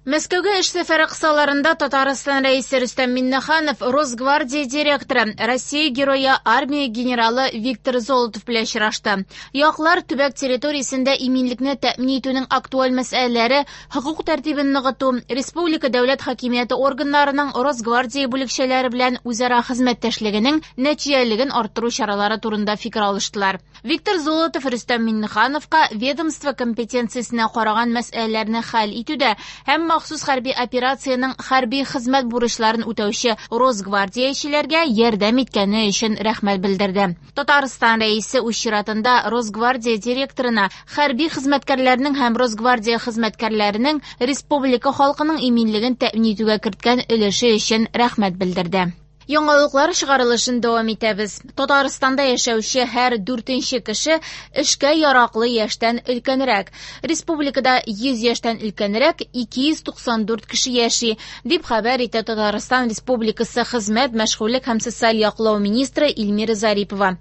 Мәскәүгә эш сәфәре кысаларында Татарстан Рәисе Рөстәм Миңнеханов Росгвардия директоры, Россия Герое, армия генералы Виктор Золотов белән очрашты. Яклар төбәк территориясендә иминлекне тәэмин итүнең актуаль мәсьәләләре, хокук тәртибен ныгыту, республика дәүләт хакимияте органнарының Росгвардия бүлекчәләре белән үзара хезмәттәшлегенең нәтиҗәлелеген арттыру чаралары турында фикер алыштылар. Виктор Золотов Рөстәм Миңнехановка ведомство компетенциясенә караган мәсьәләләрне хәл итүдә һәм махсус хәрби операциянең хәрби хезмәт бурычларын үтәүче росгвардиячеләргә ярдәм иткәне өчен рәхмәт белдерде. Татарстан Рәисе үз чиратында Росгвардия директорына хәрби хезмәткәрләрнең һәм Росгвардия хезмәткәрләренең республика халкының иминлеген тәэмин итүгә керткән өлеше өчен рәхмәт белдерде. Яңалыклар чыгарылышын дәвам итәбез. Татарстанда яшәүче һәр дүртенче кеше эшкә яраклы яшьтән өлкәнрәк. Республикада 100 яшьтән өлкәнрәк 294 кеше яши, дип хәбәр итә Татарстан Республикасы Хезмәт, мәшгульлек һәм социаль яклау министры Эльмира Зарипова.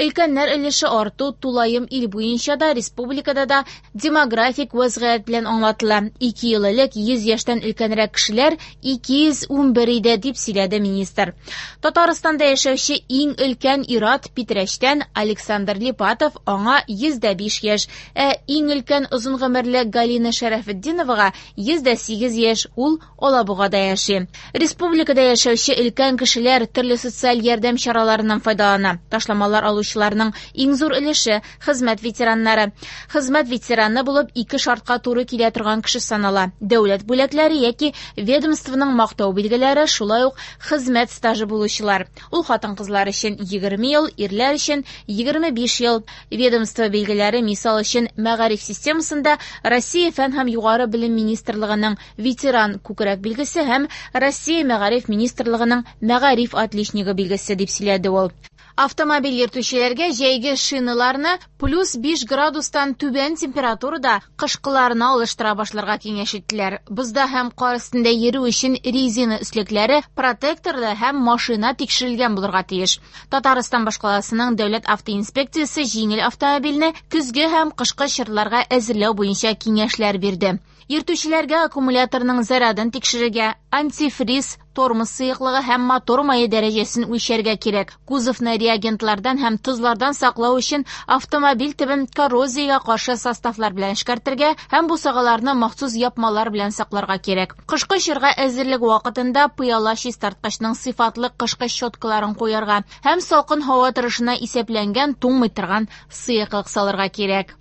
Өлкәннәр өлеше арту тулаем ил буенча да, республикада да демографик вәзгыять белән аңлатыла. Ике ел элек 100 яшьтән өлкәнрәк кешеләр 211 иде, дип сөйләде министр. Татарстанда яшәүче иң өлкән ир-ат Питрәчтән Александр Липатов, аңа 105 яшь, ә иң өлкән озын гомерле Галина Шәрәфетдиновага 108 яшь, ул Алабугада яши. Республикада яшәүче өлкән кешеләр төрле социаль ярдәм чараларыннан файдалана. Ташламалар алучыларның иң зур өлеше хезмәт ветераннары. Хезмәт ветераны булып ике шартка туры килә торган кеше санала. Дәүләт бүләкләре яки ведомствоның мактау билгеләре, шулай ук хезмәт стажы булучылар. Ул хатын-кызлар өчен 20 ел, ирләр өчен 25 ел. Ведомство билгеләре, мисал өчен, мәгариф системасында Россия фән һәм югары белем министрлыгының ветеран күкрәк билгесе һәм Россия мәгариф министрлыгының мәгариф отличнигы билгесе, дип сөйләде ул. Автомобиль йөртүчеләргә җәйге шиналарны плюс 5 градустан түбән температурада кышкыларына алыштыра башларга киңәш иттеләр. Бозда һәм кар өстендә йөрү өчен резина өслекләре протекторлы һәм машина тикшерелгән булырга тиеш. Татарстан башкаласының дәүләт автоинспекциясе җиңел автомобильне көзге һәм кышкы чорларга әзерләү буенча киңәшләр бирде. Йөртүчеләргә аккумуляторның зарядын тикшерергә, антифриз, тормоз сыеклыгы һәм мотор мае дәрәҗәсен үлчәргә кирәк. Кузовны реагентлардан һәм тозлардан саклау өчен автомобиль төбен коррозиягә каршы составлар белән эшкәртергә һәм бусагаларны махсус япмалар белән сакларга кирәк. Кышкы чорга әзерлек вакытында пыяла чистарткычның сыйфатлы кышкы щеткаларын куярга һәм салкын һава торышына исәпләнгән туңмый торган сыеклык салырга кирәк.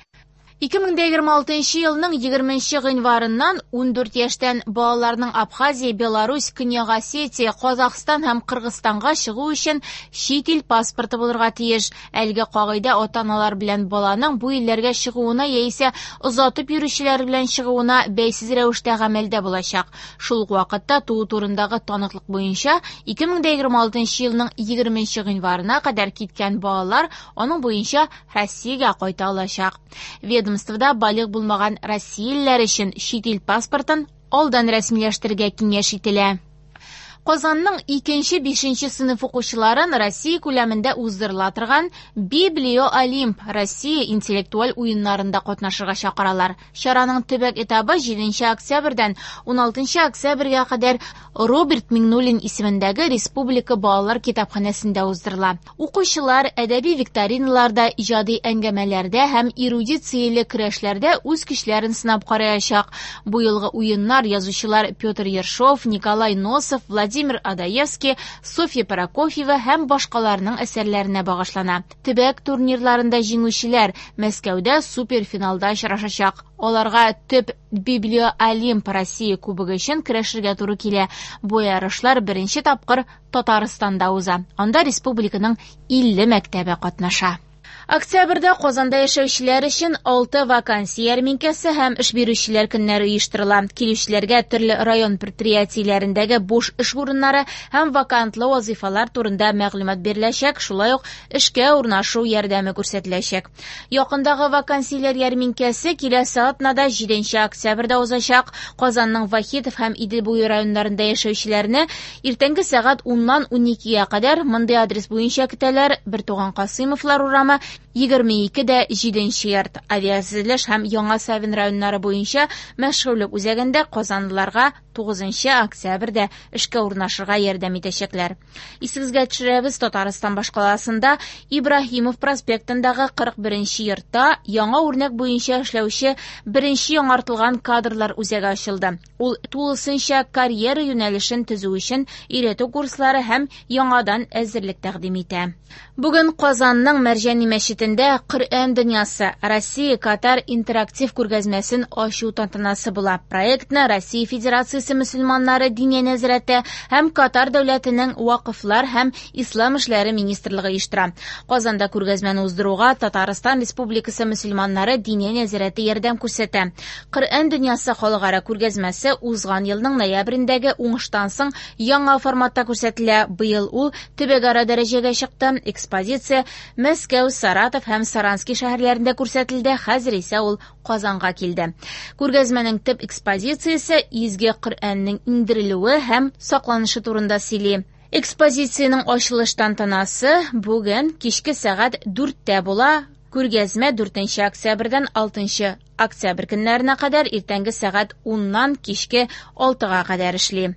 2026 елның 20 гыйнварыннан 14 яшьтән балаларның Абхазия, Беларусь, Көньяк Осетия, Казахстан һәм Кыргызстанга чыгу өчен чит ил паспорты булырга тиеш. Әлеге кагыйдә ата-аналар белән баланың бу илләргә чыгуына яисә озатып йөрүчеләр белән чыгуына бәйсез рәвештә гамәлдә булачак. Шул ук вакытта туу турындагы таныклык буенча 2026 елның 20 гыйнварына кадәр киткән балалар аның буенча Россиягә кайта алачак. Ведомствода балигъ булмаган россиялеләр өчен чит ил паспортын алдан рәсмиләштерергә киңәш ителә. Казанның 2-нче, 5нче сыйныф укучыларын Россия күләмендә уздырыла торган Библио Олимп Россия интеллектуаль уеннарында катнашырга чакыралар. Чараның төбәк этабы 7 октябрьдән 16 октябрьгә кадәр Роберт Миңнуллин исемендәге Республика балалар китапханәсендә уздырыла. Укучылар әдәби викториналарда, иҗади әңгәмәләрдә һәм эрудицияле көрәшләрдә үз көчләрен сынап караячак. Бу елгы уеннар язучылар Петр Ершов, Николай Носов, Владимир Одоевский, Софья Прокофьева һәм башкаларның әсәрләренә багышлана. Төбәк турнирларында җиңүчеләр Мәскәүдә суперфиналда очрашачак. Аларга төп Библио Олимп Россия кубогы өчен көрәшергә туры килә. Бу ярышлар беренче тапкыр Татарстанда уза. Анда республиканың 50 мәктәбе катнаша. Октябрьдә Казанда яшәүчеләр өчен 6 вакансия ярминкәсе һәм эш бирүчеләр көннәре оештырыла. Килүчеләргә төрле район предприятиеләрендәге буш эш урыннары һәм вакантлы вазифалар турында мәгълүмат биреләчәк, шулай ук эшкә урнашу ярдәме күрсәтеләчәк. Якындагы вакансияләр ярминкәсе киләсе атнада 7 октябрьдә узачак. Казанның Вахитов һәм Идел буе районнарында яшәүчеләрне иртәнге сәгать уннан уникегә кадәр мондый адрес буенча көтәләр: Бертуган Касыймовлар урамы, 22 дә 7 йорт. Авиатөзелеш һәм Яңа Савин районнары буенча мәшгульлек үзәгендә казанлыларга 9 октябрьдә эшкә урнашырга ярдәм итәчәкләр. Исегезгә төшерәбез, Татарстан башкаласында Ибраһимов проспектындагы 41 йортта яңа үрнәк буенча эшләүче беренче яңартылган кадрлар үзәге ачылды. Ул тулысынча карьера юнәлешен төзү өчен өйрәтү курслары һәм яңадан әзерлек тәкъдим итә. Бүген Казанның Мәрҗани мәчетендә Коръән дөньясы Россия Катар интерактив күргәзмәсен ачу тантанасы була. Проектны Россия Федерациясе мөселманнары Диния нәзарәте һәм Катар дәүләтенең Вакыфлар һәм Ислам эшләре министрлыгы оештыра. Казанда күргәзмәне уздыруга Татарстан Республикасы мөселманнары Диния нәзарәте ярдәм күрсәтә. Коръән дөньясы халыкара күргәзмәсе узган елның ноябрендәге уңыштан соң яңа форматта күрсәтелә. Быел ул төбәкара дәрәҗәгә чыкты. Экспозиция Мәскәү, Саратов һәм Саранский шәһәрләрендә күрсәтелде. Хәзер исә ул Казанга килде. Күргәзмәнең төп экспозициясе Изге Коръәннең иңдерелүе һәм сакланышы турында сөйли. Экспозициянең ачылыш тантанасы бүген кичке сәгать 4-тә була. Күргәзмә 4 октябрьдән 6 октябрь көннәренә кадәр иртәнге сәгать 10-нан кичке 6-га кадәр эшли.